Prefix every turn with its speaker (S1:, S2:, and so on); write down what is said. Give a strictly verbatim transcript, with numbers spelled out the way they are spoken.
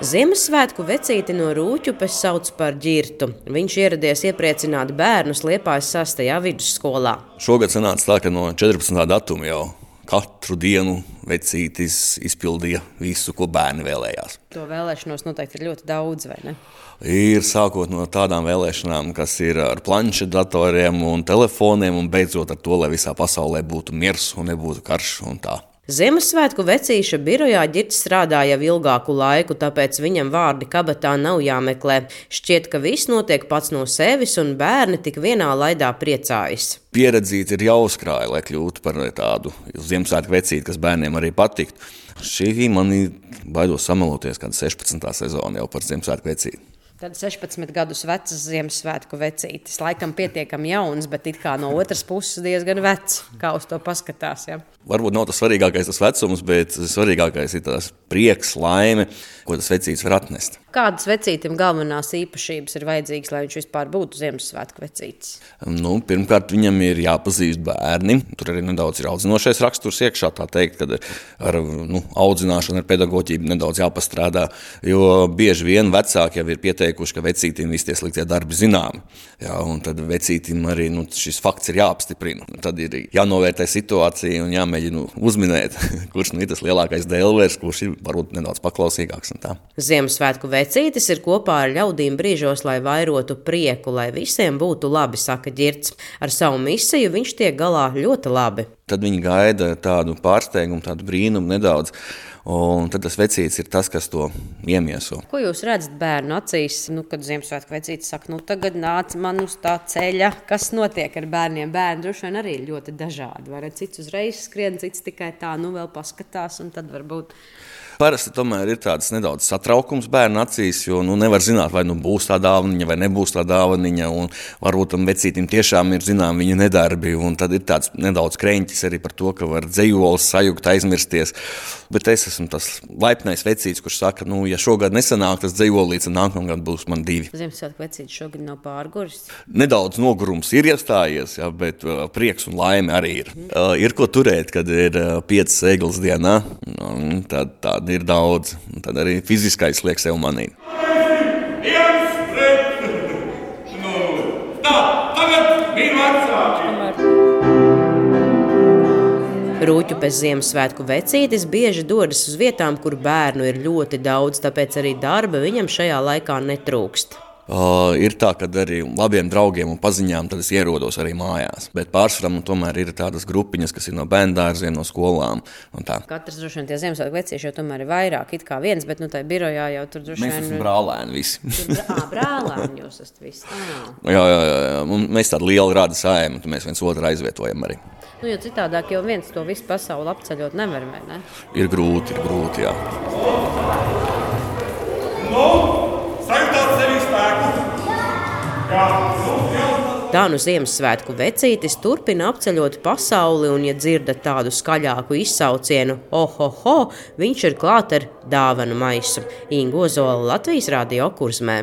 S1: Ziemassvētku vecīti no Rūķupes sauc par Ģirtu. Viņš ieradies iepriecināt bērnus Liepājas sastajā vidusskolā.
S2: Šogad sanāca tā, ka no četrpadsmitā datuma jau katru dienu vecītis izpildīja visu, ko bērni vēlējās.
S1: To vēlēšanos noteikti ir ļoti daudz, vai ne?
S2: Ir sākot no tādām vēlēšanām, kas ir ar planšetdatoriem un telefoniem, un beidzot ar to, lai visā pasaulē būtu miers un nebūtu karš un tā.
S1: Ziemassvētku vecīša birojā Ģirts strādā jau ilgāku laiku, tāpēc viņam vārdi kabatā nav jāmeklē. Šķiet, ka viss notiek pats no sevis un bērni tik vienā laidā priecājas.
S2: Pieredzīti ir jāuzkrāja, lai kļūtu par tādu Ziemassvētku vecīti, kas bērniem arī patiktu. Šī mani baidos samaloties, kad sešpadsmitā sezona jau par Ziemassvētku vecīti.
S1: Tad sešpadsmit gadus vecs Ziemassvētku vecītis. Laikam pietiekami jauns, bet it kā no otras puses diezgan vecs. Kā uz to paskatās, ja?
S2: Varbūt nav tas svarīgākais tas vecums, bet svarīgākais ir tās prieks, laime, ko tas vecītis var atnest.
S1: Kādas vecītim galvenās īpašības ir vajadzīgas, lai viņš vispār būtu Ziemassvētku vecītis?
S2: Nu, pirmkārt, viņam ir jāpazīst bērni. Tur arī nedaudz ir audzinošais raksturs iekšā, tā teikt, kad ar nu, audzināšanu, ar pedagoģiju nedaudz jāpastrādā, jo bieži vien vecāki jau ir pieteikuši, ka vecītim visi tie sliktie darbi zināmi. Jā, un tad vecītim arī nu, šis fakts ir jāapstiprina. Tad ir jānovērtē situācija un jāmēģina uzminēt, kurš nu ir tas lielākais dēlvērs, kurš ir varbūt nedaudz paklausīgāks un tā.
S1: Ziemassvētku vecītis ir kopā ar ļaudīm brīžos, lai vairotu prieku, lai visiem būtu labi, saka Ģirts. Ar savu misiju viņš tiek galā ļoti labi.
S2: Tad viņi gaida tādu pārsteigumu, tādu brīnumu nedaudz, un tad tas vecītis ir tas, kas to iemieso.
S1: Ko jūs redzat bērnu acīs, nu, kad Ziemassvētku vecītis saka, nu tagad nāc man uz tā ceļa, kas notiek ar bērniem? Bērni droši vien arī ļoti dažādi, vai ne? Cits uzreiz skrien, cits tikai tā, nu vēl paskatās, un tad varbūt...
S2: Parasti tomēr ir tāds nedaudz satraukums bērnu acīs, jo nu, nevar zināt, vai nu būs tā dāvaniņa vai nebūs tā dāvaniņa, un varbūt tam vecītim tiešām ir zinām viņa nedarbi, un tad ir tāds nedaudz kreņķis arī par to, ka var dzejolis sajukt, aizmirsties. Bet es esmu tas laipnais vecītis, kurš saka, nu, ja šogad nesanāk tas dzejolīts, tad nākamgad būs man divi.
S1: Ziemassvētku vecītis šogad nav pārguris?
S2: Nedaudz nogurums ir iestājies, ja, bet uh, prieks un laime arī ir. Mm. Uh, ir ko turēt, kad ir uh, piecas egles dienā, un tad tā ir daudz, un tad arī fiziskais liek sev manīt.
S3: Viens pret nulli. Tā, tagad ir vecāki.
S1: Rūķupes Ziemassvētku vecītis bieži dodas uz vietām, kur bērnu ir ļoti daudz, tāpēc arī darba viņam šajā laikā netrūkst.
S2: Uh, ir tā, ka arī labiem draugiem un paziņām tad es ierodos arī mājās. Bet pārsvarā man tomēr ir tādas grupiņas, kas ir no bērndārziem, no skolām. Un tā.
S1: Katrs droši vien tie Ziemassvētku vecīši jau tomēr ir vairāk, it kā viens, bet nu tai birojā jau tur droši vien...
S2: Mēs esam brālēni visi.
S1: Tur, ā, brālēni jūs esat visi. Ah.
S2: Jā, jā, jā. Mēs tādu lielu rāda sājam, un mēs viens otru aizvietojam arī.
S1: Nu, jo citādāk jau viens to visu pasauli apceļot nevar, vai ne?
S2: Ir grūti, ir grūti, jā.
S3: Nu, sajūtāt sevi spēku. Jā,
S1: Tā nu Ziemassvētku vecītis turpina apceļot pasauli, un, ja dzirdat tādu skaļāku izsaucienu, ohoho, viņš ir klāt ar dāvanu maisu. Inga Ozola, Latvijas Radio Kurzmē.